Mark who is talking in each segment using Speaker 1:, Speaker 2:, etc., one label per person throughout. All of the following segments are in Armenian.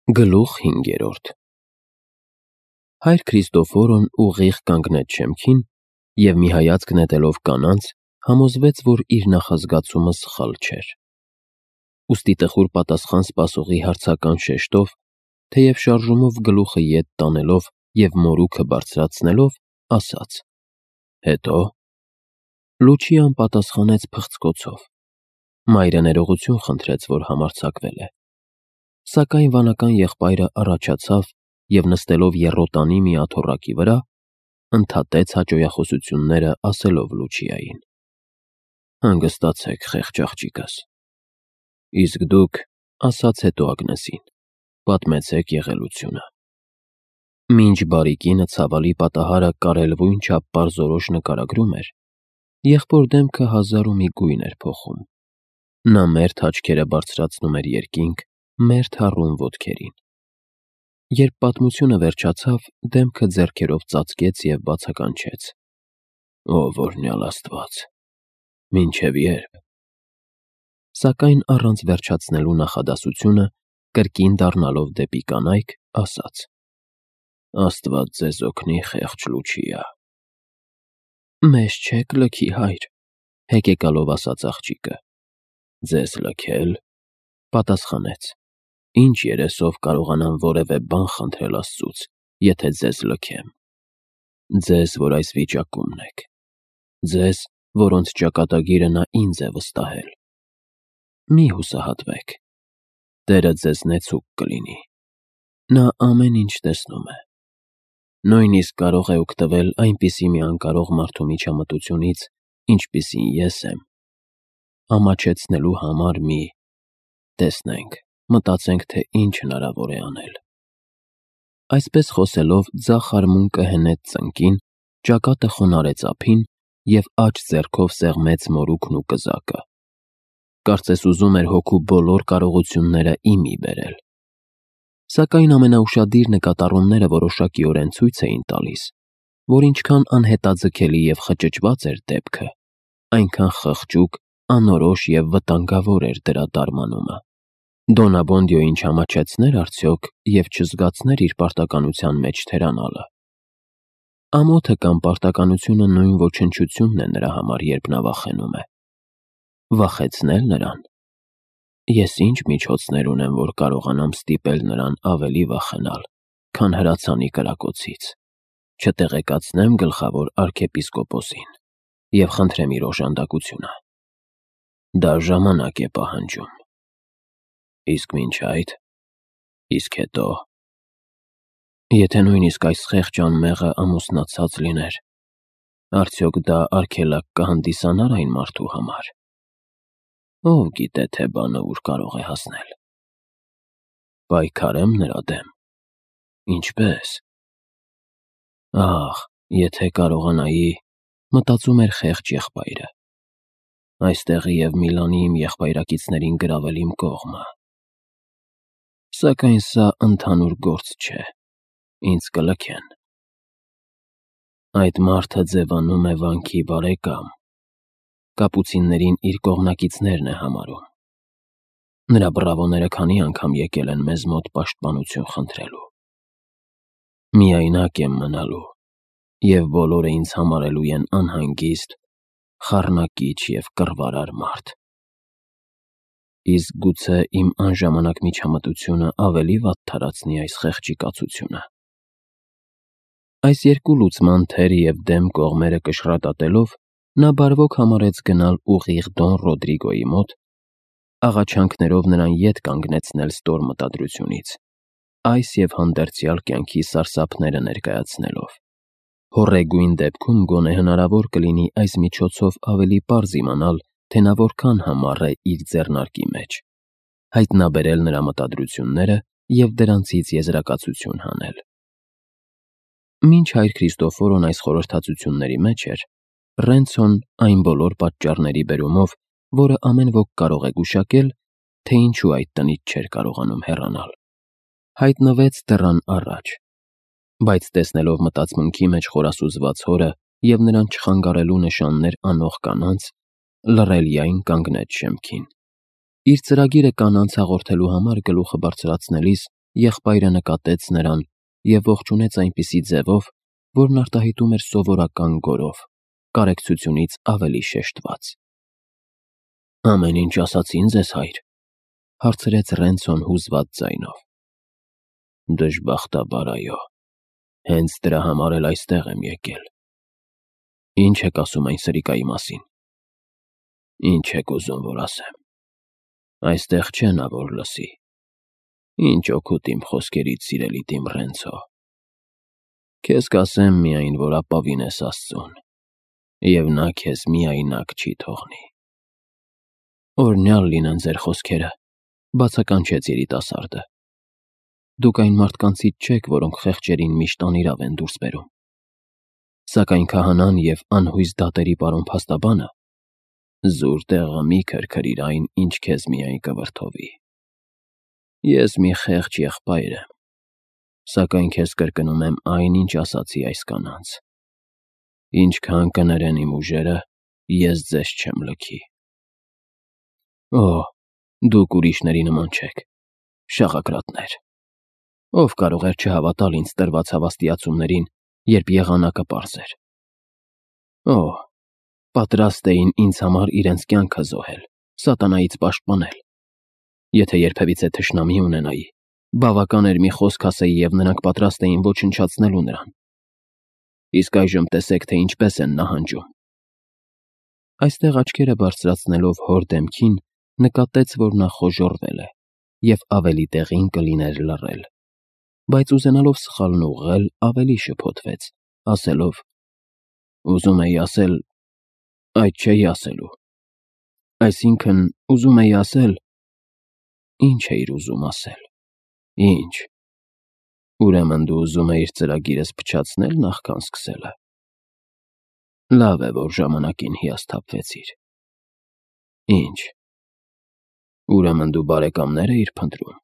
Speaker 1: Գլուխ 5 Հայր Քրիստոֆորոն ուղիղ կանգնեց շեմքին և մի հայացք նետելով կանանց, համոզվեց, որ իր նախազգացումը սխալ չէր։ Ուստի տխուր պատասխան սպասողի հարցական շեշտով, թեև շարժումով գլուխը ետ տանելով և մորուքը բարձրացնելով, ասաց. «Հետո»։ Լուչիան պատասխանեց փղծկոցով. մայրը ներողություն խնդրեց, որ համարձակվել է։ Սակայն վանական եղբայրը առաջացավ և նստելով եռոտանի մի աթոռակի վրա, ընդհատեց հաճոյախոսությունները, ասելով Լուչիային. «Հանգստացեք, խեղճ աղջիկս»։ Իսկ դուք, ասաց հետո Ագնեսին, պատմեցեք եղելությունը։ Մինչ բարի կինը ցավալի պատահարը կարելվույն չափ պարզորոշ նկարագրում էր, եղբոր դեմքը հազար ու մի գույն էր փոխում։ Նա մերթ աչքերը բարձրացնում էր երկինք, մերթ հառում ոտքերին։ Երբ պատմությունը վերջացավ, դեմքը ձեռքերով ծածկեց և բացականչեց. «Ով օրհնյալ Աստված, մինչև ե՞րբ»։ Սակայն առանց վերջացնելու նախադասությունը, կրկին դառնալով դեպի կանայք, ասաց. «Աստված ձեզ օգնի, խեղճ Լուչիա»։ «Մեզ չեք լքի, հայր», հեկեկալով ասաց աղջիկը։ «Ձեզ լքե՞լ», պատասխանեց. «Ինչ երեսով կարողանամ որևէ բան խնդրել Աստծուց, եթե ձեզ լքեմ։ Ձեզ, որ այս վիճակումն եք, ձեզ, որոնց ճակատագիրը նա ինձ է վստահել։ Մի հուսահատվեք, Տերը ձեզ նեցուկ կլինի, նա ամեն ինչ տեսնում է։ Նույնիսկ կարող է օգտվել այնպիսի մի անկարող մարդու միջամտությունից, ինչպիսին ես եմ, ամաչեցնելու համար մի… Տեսնենք, մտածենք, թե ինչ հնարավոր է անել»։ Այսպես խոսելով, ձախ արմունկը հենեց ծնկին, ճակատը խոնարհեց ափին և աջ ձեռքով սեղմեց մորուքն ու կզակը։ Կարծես ուզում էր հոգու բոլոր կարողությունները ի մի բերել։ Սակայն ամենաուշադիր նկատառումները որոշակիորեն ցույց էին տալիս, որ ինչքան անհետաձգելի և խճճված էր դեպքը, այնքան խղճուկ, անորոշ և վտանգավոր էր դրա տարմանումը։ Դոնաբոնդիոյին չամաչեցնե՞ր արդյոք և չզգացներ իր պարտականության մեջ թերանալը։ Ամոթը կամ պարտականությունը նույն ոչնչությունն է նրա համար, երբ նա վախենում է։ Վախեցնե՞լ նրան։ Ես ինչ միջոցներ ունեմ, որ կարողանամ ստիպել նրան ավելի վախենալ, քան հրացանի կրակոցից։ Չտեղեկացնե՞մ գլխավոր արքեպիսկոպոսին և խնդրեմ իր օժանդակությունը։ Դա ժամանակ է պահանջում։ Իսկ մինչ այդ… Իսկ հետո… Եթե նույնիսկ այս խեղճ անմեղը ամուսնացած լիներ, արդյոք դա արգելակ կհանդիսանա՞ր այն մարդու համար։ Ով գիտե, թե բանը ուր կարող է հասնել։ Պայքարե՞մ նրա դեմ։ Ինչպե՞ս։ Ահ, եթե կարողանայի, մտածում էր խեղճ եղբայրը, այստեղի և Միլանի իմ եղբայրակիցներին գրավել իմ կողմը։ Սակայն սա ընդհանուր գործ չէ, ինձ կլքեն։ Այդ մարդը ձևանում է վանքի բարեկամ, կապուցիններին իր կողմնակիցներն է համարում։ Նրա բռավոները քանի անգամ եկել են մեզ մոտ պաշտպանություն խնդրելու։ Միայնակ եմ մնալու, և բոլորը ինձ համարելու են անհանգիստ, խառնակիչ և կռվարար մարդ։ Իսկ գուցե իմ անժամանակ միջամտությունը ավելի վատ թարացնի այս խեղճի կացությունը։ Այս երկու լուծման թեր և դեմ կողմերը կշռատատելով, նա բարվոք համարեց գնալ ուղիղ Դոն Ռոդրիգոյի մոտ, աղաչանքներով նրան ետ կանգնեցնել ստոր մտադրությունից, այս և հանդերձյալ կյանքի սարսափները ներկայացնելով։ Հոռեգույն դեպքում գոնե հնարավոր կլինի այս միջոցով ավելի պարզ իմանալ, թե նա որքան համառ է իր ձեռնարկի մեջ, հայտնաբերել նրա մտադրությունները և դրանցից եզրակացություն հանել։ Մինչ հայր Քրիստոֆորոն այս խորհրդածությունների մեջ էր, Ռենցոն այն բոլոր պատճառների բերումով, որը ամեն ոք կարող է գուշակել, թե ինչու այդ տնից չէր կարողանում հեռանալ, հայտնվեց դռան առաջ, բայց տեսնելով մտածմունքի մեջ խորասուզված հորը և նրան չխանգարելու նշաններ անող կանանց, լռելիայն կանգնեց շեմքին։ Իր ծրագիրը կանանց հաղորդելու համար գլուխը բարձրացնելիս եղբայրը նկատեց նրան և ողջունեց այնպիսի ձևով, որն արտահայտում էր սովորական գորով, կարեկցությունից ավելի շեշտված։ «Ամեն ինչ ասացի՞ն ձեզ, հայր», հարցրեց Ռենցոն հուզված ձայնով։ «Դժբախտաբար այո, հենց դրա համար էլ այստեղ եմ եկել»։ «Ինչ եք ասում այն սրիկայի մասին»։ «Ինչ եք ուզում, որ ասեմ։ Այստեղ չէ նա, որ լսի։ Ինչ օգուտ իմ խոսքերից, սիրելի Տիմ Ռենցո։ Քեզ կասեմ միայն, որ ապավինես Աստծուն, և նա քեզ միայնակ չի թողնի»։ «Օրհնյալ լինեն ձեր խոսքերը», բացականչեց երիտասարդը։ «Դուք այն մարդկանցից չեք, որոնք խեղճերին միշտ անիրավ են դուրս բերում։ Սակայն քահանան և անհույս դատերի պարոն փաստաբանը զուր տեղը մի քրքրիր այն, ինչ քեզ միայն կվրդովի։ Ես մի խեղճ եղբայր եմ, սակայն քեզ կրկնում եմ այն, ինչ ասացի այս կանանց. ինչքան կներեն իմ ուժերը, ես ձեզ չեմ լքի»։ «Օ, դուք ուրիշների նման չեք, շաղակրատներ։ Ով կարող էր չհավատալ ինձ տրված հավաստիացումներին, երբ եղանակը պարզ էր։ Օ, պատրաստ էին ինձ համար իրենց կյանքը զոհել, սատանայից պաշտպանել։ Եթե երբևիցե թշնամի ունենայի, բավական էր մի խոսք ասեի, և նրանք պատրաստ էին ոչնչացնելու նրան։ Իսկ այժմ տեսեք, թե ինչպես են նահանջում»։ Այստեղ աչքերը բարձրացնելով հոր դեմքին, նկատեց, որ նա խոժոռվել է և ավելի տեղին կլիներ լռել, բայց ուզենալով սխալն ուղղել, ավելի շփոթվեց, ասելով. «Ուզում էի ասել, այդ չէի ասելու։ Այսինքն, ուզում էի ասել»։ «Ինչ էիր ուզում ասել։ Ինչ։ Ուրեմն դու ուզում էիր ծրագիրս փչացնել նախքան սկսելը։ Լավ է, որ ժամանակին հիասթափվեցիր։ Ինչ։ Ուրեմն դու բարեկամներ էիր փնտրում։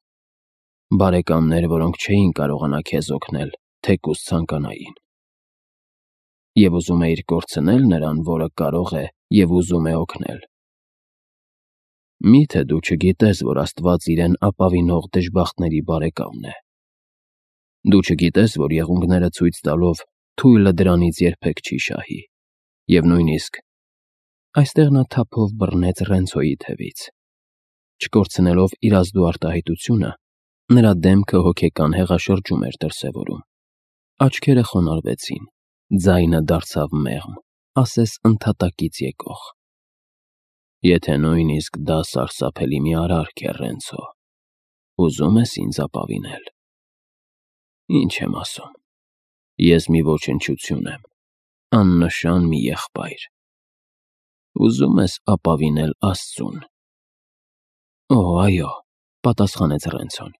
Speaker 1: Բարեկամներ, որոնք չէին կարողանա քեզ օգնել, թեկուզ ցանկանային։ Եվ ուզում էիր կորցնել նրան, որը կարող է և ուզում է օգնել։ Մի՞թե դու չգիտես, որ Աստված իրեն ապավինող դժբախտների բարեկամն է։ Դու չգիտես, որ եղունգները ցույց տալով թույլը դրանից երբեք չի շահի, և նույնիսկ… Այստեղ նա թափով բռնեց Ռենցոյի թևից։ Չկորցնելով իր ազդու արտահայտությունը, նրա դեմքը հոգեկան հեղաշրջում էր դրսևորում։ Աչքերը խոնարհվեցին, ձայնը դարձավ մեղմ, ասես ընդհատակից եկող։ Եթե նույնիսկ դա սարսափելի մի արարք է, Ռենցո, ուզում ես ինձ ապավինել։ Ինչ եմ ասում։ Ես մի ոչնչություն եմ, աննշան մի եղբայր։ Ուզում ես ապավինել Աստծուն։ Օ, այո, պատասխանեց Ռենցոն։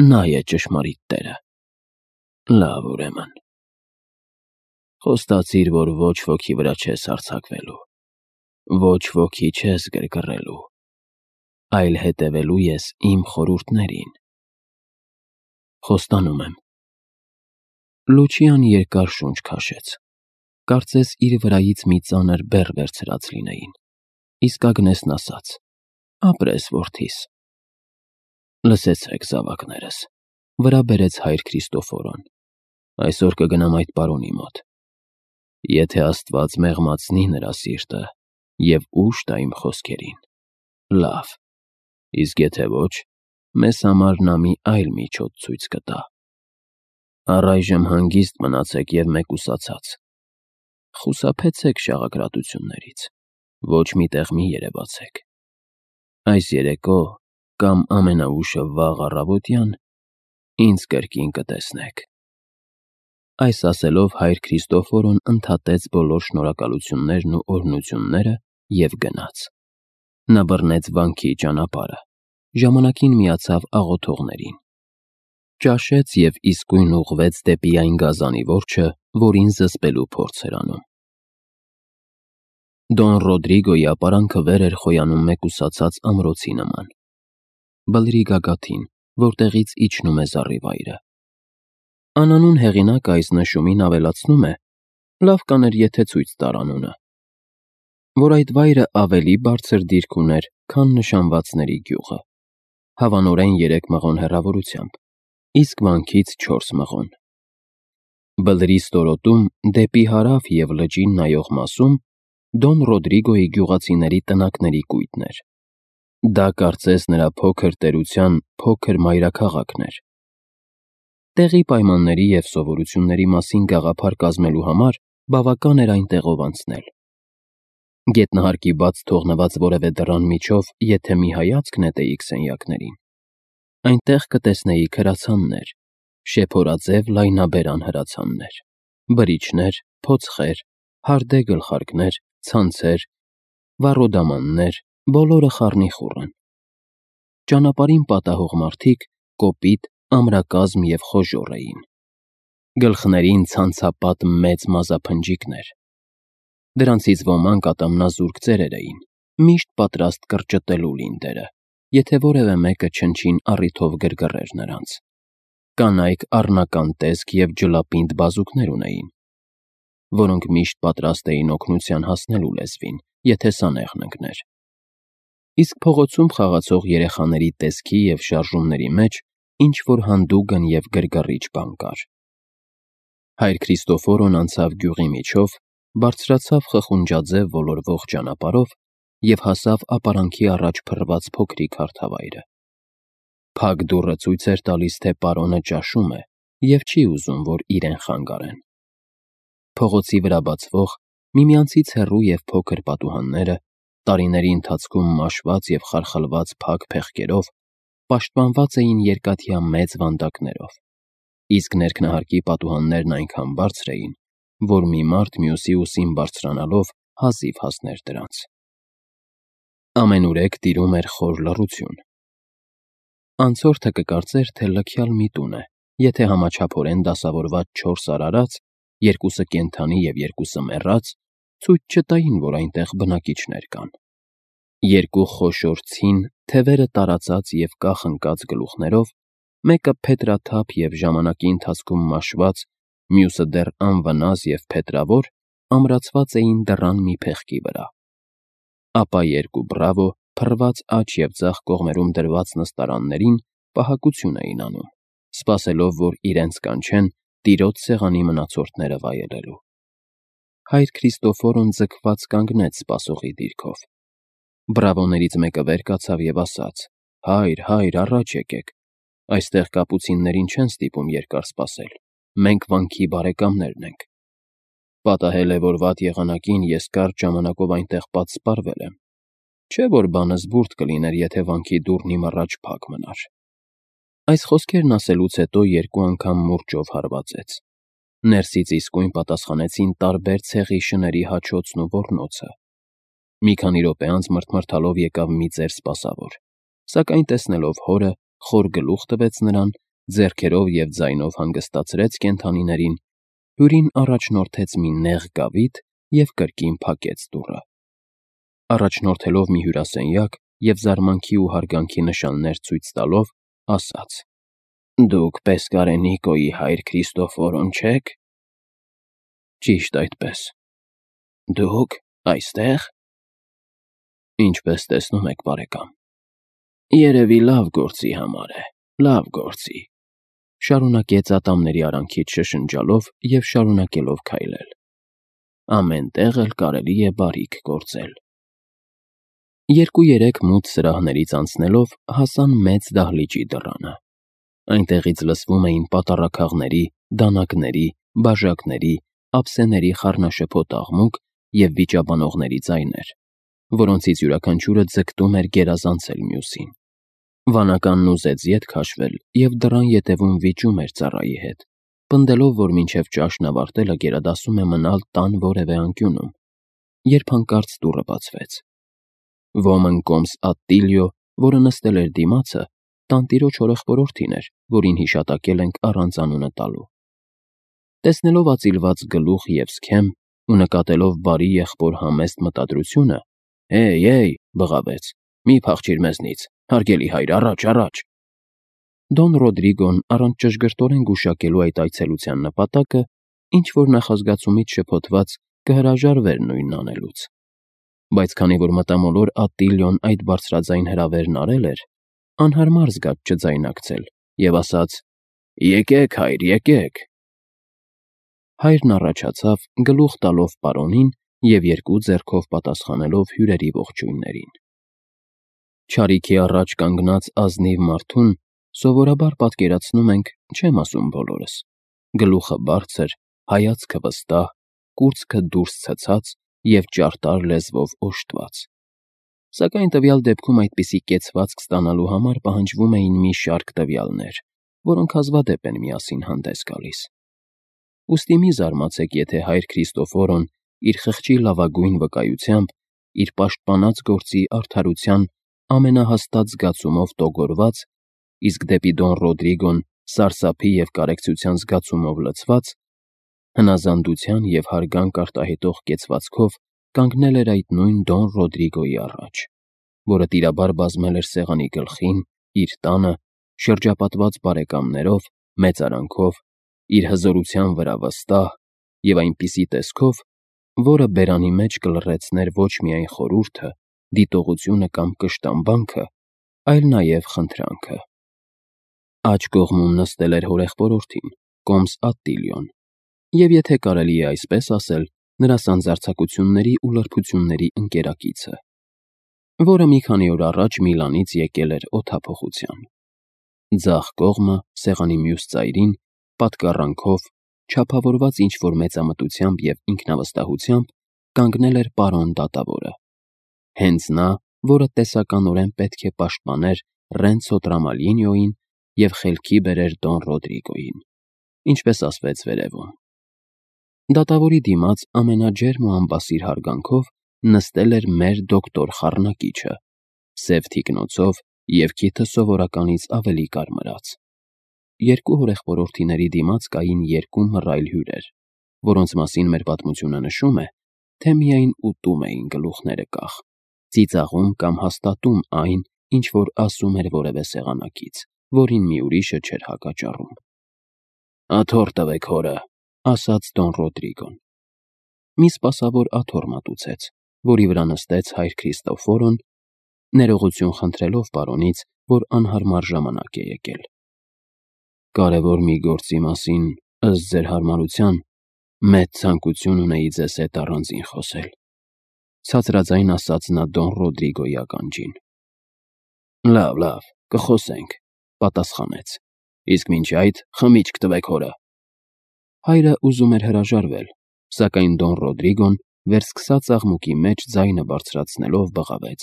Speaker 1: Նա է ճշմարիտ Տերը։ Լավ, ուրեմն։ Խոստացիր, որ ոչ ոքի վրա չես հարձակվելու, ոչ ոքի չես գրգռելու, այլ հետևելու ես իմ խորհուրդներին։ Խոստանում եմ։ Լուչիան երկար շունչ քաշեց, կարծես իր վրայից մի ծանր բեռ վերցրած լինեին, իսկ Ագնեսն ասաց. ապրես, որդիս։ Լսեցեք, զավակներս, վրա բերեց հայր Քրիստոֆորոն, այսօր կգնամ այդ պարոնի մոտ։ Եթե Աստված մեղմացնի նրա սիրտը և ուժ տա իմ խոսքերին, լավ, իսկ եթե ոչ, մեզ համար նա մի այլ միջոց ցույց կտա։ Առայժմ հանգիստ մնացեք և մեկուսացած։ Խուսափեցեք շաղակրատություններից, ոչ մի տեղ մի երևացեք։ Այս երեկո կամ ամենաուշը վաղ առավոտյան ինձ կրկին կտեսնեք։ Այս ասելով հայր Քրիստոֆորոն ընդհատեց բոլոր շնորհակալություններն ու օրհնությունները և գնաց։ Նա բռնեց վանքի ճանապարհը, ժամանակին միացավ աղոթողներին, ճաշեց և իսկույն ուղղվեց դեպի այն գազանի որջը, որին զսպելու փորձ էր անում։ Դոն Ռոդրիգոյի ապարանքը վեր էր խոյանում մեկուսացած ամրոցի նման, բլրի գագաթին, որտեղից իջնում է զառիվայրը։ Անանուն հեղինակը այս նշումին ավելացնում է, լավ կաներ, եթե ցույց տար անունը, որ այդ վայրը ավելի բարձր դիրք ուներ, քան նշանվածների գյուղը, հավանորեն 3 մղոն հեռավորությամբ, իսկ վանքից 4 մղոն։ Բլրի ստորոտում դեպի հարավ և լճին նայող մասում Դոն Ռոդրիգոյի գյուղացիների տնակների կույտն էր։ Դա կարծես նրա փոքր տերության փոքր մայրաքաղաքն էր։ Տեղի պայմանների և սովորությունների մասին գաղափար կազմելու համար բավական էր այնտեղով անցնել։ Գետնահարկի բաց թողնված որևէ դռան միջով եթե մի հայացք նետեիք սենյակներին, այնտեղ կտեսնեիք հրացաններ, շեփորաձև լայնաբերան հրացաններ, բրիչներ, փոცხեր, հարդե գլխարկներ, ցանցեր, վառոդամաններ, բոլորը խառնիխուռ են։ Ճանապարհին պատահող մարդիկ կոպիտ, ամրակազմ և խոժոռ էին։ Գլխներին ցանցապատ մեծ մազափնջիկներ։ Դրանցից ոմանք ատամնազուրկ ծերեր էին, միշտ պատրաստ կրճտելու լինդերը, եթե որևէ մեկը չնչին առիթով գրգռեր նրանց։ Կանայք առնական տեսք և ջլապինդ բազուկներ ունեին, որոնք միշտ պատրաստ էին օգնության հասնելու լեզվին, եթե սանեղն ընկներ։ Իսկ փողոցում խաղացող երեխաների տեսքի և շարժումների մեջ ինչ-որ հանդուգն և գրգռիչ բան կար։ Հայր Քրիստոֆորոն անցավ գյուղի միջով, բարձրացավ խխունջաձև ոլորվող ճանապարհով և հասավ ապարանքի առաջ փռված փոքրիկ հարթավայրը։ Փակ դուռը ցույց էր տալիս, թե պարոնը ճաշում է և չի ուզում, որ իրեն խանգարեն։ Փողոցի վրա բացվող, միմյանցից հեռու և փոքր պատուհանները, տարիների ընթացքում մաշված և խարխլված փակ փեղկերով, պաշտպանված էին երկաթյա մեծ վանդակներով, իսկ ներքնահարկի պատուհաններն այնքան բարձր էին, որ մի մարդ մյուսի ուսին բարձրանալով հազիվ հասներ դրանց։ Ամենուրեք տիրում էր խոր լռություն։ Անցորդը կկարծեր, թե լքյալ մի տուն է, եթե համաչափորեն դասավորված 4 արարած, 2-ը կենդանի և 2-ը մեռած, ցույց չտային, որ այնտեղ բնակիչներ կան։ 2 խոշոր ցին, թևերը տարածած և կախ ընկած գլուխներով, մեկը փետրաթափ և ժամանակի ընթացքում մաշված, մյուսը դեռ անվնաս և փետրավոր, ամրացված էին դռան մի փեղկի վրա։ Ապա 2 բրավո, փռված աջ և ձախ կողմերում դրված նստարաններին պահակություն էին անում, սպասելով, որ իրենց կանչեն տիրոջ սեղանի մնացորդները վայելելու։ Հայր Քրիստոֆորոն ձգված կանգնեց սպասողի դիրքով։ Բրավոներից մեկը վեր կացավ և ասաց. «Հայր, հայր, առաջ եկեք, այստեղ կապուցիններին չեն ստիպում երկար սպասել, մենք վանքի բարեկամներն ենք։ Պատահել է, որ վատ եղանակին ես կարճ ժամանակով այնտեղ պատսպարվել եմ, չէ՞ որ բանը զվուրթ կլիներ, եթե վանքի դուռն իմ առաջ փակ մնար»։ Այս խոսքերն ասելուց հետո 2 անգամ մուրճով հարվածեց։ Ներսից իսկույն պատասխանեցին տարբեր ցեղի շների հաչոցն ու ոռնոցը։ Մի քանի րոպե անց մռթմռթալով եկավ մի ծեր սպասավոր, սակայն տեսնելով հորը, խոր գլուխ տվեց նրան, ձեռքերով և ձայնով հանգստացրեց կենդանիներին, հյուրին առաջնորդեց մի նեղ գավիթ և կրկին փակեց դուռը։ Առաջնորդելով մի հյուրասենյակ և զարմանքի ու հարգանքի նշաններ ցույց տալով, ասաց. «Դուք Պեսկարենիկոյի հայր Քրիստոֆորոն չե՞ք»։ «Ճիշտ այդպես»։ «Դուք այստեղ»։ «Ինչպես տեսնում եք, բարեկամ»։ «Երևի լավ գործի համար է, լավ գործի», շարունակեց ատամների արանքից շշնջալով և շարունակելով քայլել։ «Ամեն տեղ էլ կարելի է բարիք գործել»։ 2-3 մութ սրահներից անցնելով հասան մեծ դահլիճի դռանը։ Այնտեղից լսվում էին պատառաքաղների, դանակների, բաժակների, ափսեների խառնաշփոթ աղմուկ և վիճաբանողների ձայներ, որոնցից յուրաքանչյուրը ձգտում էր գերազանցել մյուսին։ Վանականն ուզեց ետ քաշվել և դռան ետևում վիճում էր ծառայի հետ, պնդելով, որ մինչև ճաշն ավարտելը գերադասում է մնալ տան որևէ անկյունում, երբ հանկարծ դուռը բացվեց։ Ոմն կոմս Ատտիլիո, որը նստել էր դիմացը, տանտիրոջ հորեղբորորդին էր, որին հիշատակել ենք առանց անունը տալու։ Տեսնելով ածիլված գլուխ և սքեմ ու նկատելով բարի եղբոր համեստ մտադրությունը, «Հեյ, բղավեց, մի փախչիր մեզնից, հարգելի հայր, առաջ, առաջ»։ Դոն Ռոդրիգոն, առանց ճշգրտորեն գուշակելու այդ այցելության նպատակը, ինչ-որ նախազգացումից շփոթված, կհրաժարվեր նույնն անելուց։ Բայց քանի որ մտամոլոր Ատտիլիոն այդ բարձրաձայն հրավերն արել էր, անհարմար զգաց չձայնարկել և ասաց. Եկեք, հայր, եկեք։ Հայրն առաջացավ, գլուխ տալով պարոնին և երկու ձեռքով պատասխանելով հյուրերի ողջույններին։ Չարիքի առաջ կանգնած ազնիվ մարդուն սովորաբար պատկերացնում ենք, չեմ ասում բոլորս, գլուխը բարձր, հայացքը վստահ, կուրծքը դուրս ցցած և ճարտար լեզվով օժտված։ Սակայն տվյալ դեպքում այդպիսի կեցվածք ստանալու համար պահանջվում էին մի շարք տվյալներ, որոնք հազվադեպ են միասին հանդես գալիս։ Ուստի մի զարմացեք, եթե հայր Քրիստոֆորոն իր խղճի լավագույն վկայությամբ, իր պաշտպանած գործի արդարության ամենահաստատ զգացումով տոգորված, իսկ դեպի Դոն Ռոդրիգոն սարսափի և կարեկցության զգացումով լցված, հնազանդության և հարգանք արտահայտող կեցվածքով կանգնել էր այդ նույն Դոն Ռոդրիգոյի առաջ, որը տիրաբար բազմել էր սեղանի գլխին, իր տանը, շրջապատված բարեկամներով, մեծարանքով, իր հզորության վրա վստահ և այնպիսի տեսքով, որը բերանի մեջ կլռեցներ ոչ միայն խորհուրդը, դիտողությունը կամ կշտամբանքը, այլ նաև խնդրանքը։ Աջ կողմում նստել էր հորեղբորորդին, կոմս Ատտիլիոն, և եթե կարելի է այսպես ասել, նրա սանձարձակությունների ու լրբությունների ընկերակիցը, որը մի քանի օր առաջ Միլանից եկել էր օդափոխության։ Ձախ կողմը, սեղանի մյուս ծայրին, պատկառանքով, չափավորված ինչ-որ մեծամտությամբ և ինքնավստահությամբ, կանգնել էր պարոն դատավորը, հենց նա, որը տեսականորեն պետք է պաշտպաներ Ռենցո Տրամալինոյին և խելքի բերեր Դոն Ռոդրիգոյին, ինչպես ասվեց վերևում։ Դատավորի դիմաց ամենաջերմ ու անբասիր հարգանքով նստել էր մեր դոկտոր խառնակիչը, սև թիկնոցով և քիթը սովորականից ավելի կարմրած։ Երկու հորեղբորորդիների դիմաց կային երկու մռայլ հյուրեր, որոնց մասին մեր պատմությունը նշում է, թե միայն ուտում էին գլուխները կախ, ծիծաղում կամ հաստատում այն, ինչ որ ասում էր որևէ սեղանակից, որին մի ուրիշը չէր հակաճառում։ «Աթոռ տվեք հորը», ասաց Դոն Ռոդրիգոն։ Մի սպասավոր աթոռ մատուցեց, որի վրա նստեց հայր Քրիստոֆորոն, ներողություն խնդրելով պարոնից, որ անհարմար ժամանակ է եկել։ «Կարևոր մի գործի մասին, ըստ ձեր հարմարության, մեծ ցանկություն ունեի ձեզ հետ առանձին խոսել», ցածրաձայն ասաց նա Դոն Ռոդրիգոյի ականջին։ «Լավ, կխոսենք», պատասխանեց, «իսկ մինչ այդ խմիչք տվեք հորը»։ Հայրը ուզում էր հրաժարվել, սակայն Դոն Ռոդրիգոն վերսկսած աղմուկի մեջ ձայնը բարձրացնելով բղավեց.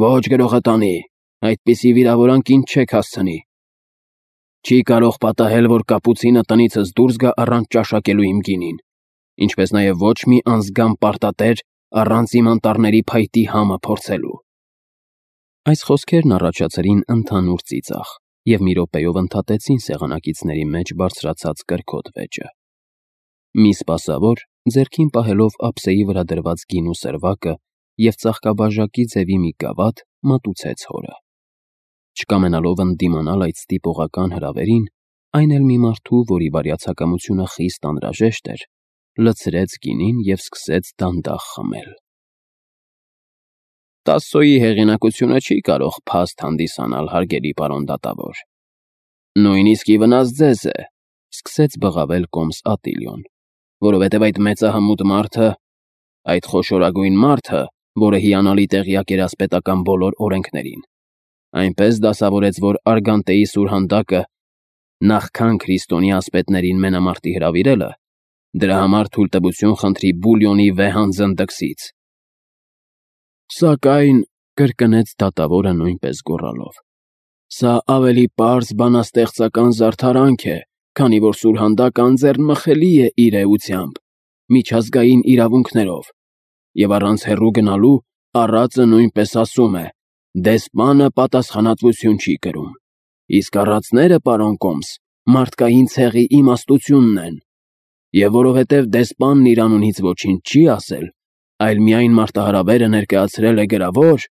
Speaker 1: «Ոչ գրողատանի, այդպիսի վիրավորանք ինձ չեք հասցնի։ Չի կարող պատահել, որ կապուցինը տնիցս դուրս գա առանց ճաշակելու իմ գինին, ինչպես նաև ոչ մի անզգամ պարտատեր առանց իմ անտառների փայտի համը փորձելու»։ Այս խոսքերն առաջացրին ընդհանուր ծիծաղ և մի րոպեով ընդհատեցին սեղանակիցների մեջ բարձրացած կրքոտ վեճը։ Մի սպասավոր, ձեռքին պահելով ափսեի վրա դրված գինու սրվակը և ծաղկաբաժակի ձևի մի գավաթ, մատուցեց հորը։ Չկամենալով ընդդիմանալ այդ ստիպողական հրավերին, այն էլ մի մարդու, որի բարյացակամությունը խիստ անհրաժեշտ էր, լցրեց գինին և սկսեց դանդաղ խմել։ «Տասսոյի հեղինակությունը չի կարող փաստ հանդիսանալ, հարգելի պարոն դատավոր։ Նույնիսկ ի վնաս ձեզ է», սկսեց բղավել կոմս Ատտիլիոն, «որովհետև այդ մեծահմուտ մարդը, այդ խոշորագույն մարդը, որը հիանալի տեղյակ էր ասպետական բոլոր օրենքներին, այնպես դասավորեց, որ Արգանտեի սուրհանդակը, նախքան քրիստոնյա ասպետներին մենամարտի հրավիրելը, դրա համար թույլտվություն խնդրի Բուլյոնի վեհան զնդքսից»։ «Սակայն», կրկնեց դատավորը նույնպես գոռալով, «սա ավելի պարզ բանաստեղծական զարդարանք է, քանի որ սուրհանդակը անձեռնմխելի է իր էությամբ, միջազգային իրավունքներով, և առանց հեռու գնալու առածը նույնպես ասում է. դեսպանը պատասխանատվություն չի կրում, իսկ առածները, պարոն կոմս, մարդկային ցեղի իմաստությունն են, և որովհետև դեսպանն իր անունից ոչինչ չի ասել, այլ միայն մարտահրավերը ներկայացրել է գրավոր,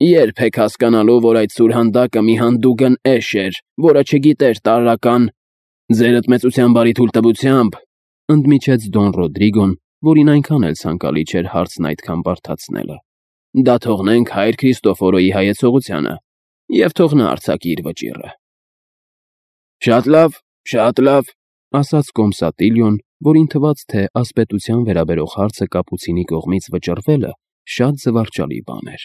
Speaker 1: երբ եք հասկանալու, որ այդ սուրհանդակը մի հանդուգն էշ էր, որը չգիտեր տարրական...» «Ձերդ մեծության բարի թույլտվությամբ», ընդմիջեց Դոն Ռոդրիգոն, որին այնքան էլ ցանկալի չէր հարցն այդքան բարդացնելը, «դա թողնենք հայր Քրիստոֆորոյի հայեցողությանը, և թող նա արձակի իր վճիռը»։
Speaker 2: Շատ լավ, ասաց կոմսատիլյոն, որին թվաց, թե ասպետության վերաբերող հարցը կապուցինի կողմից վճռվելը շատ զվարճալի բան էր։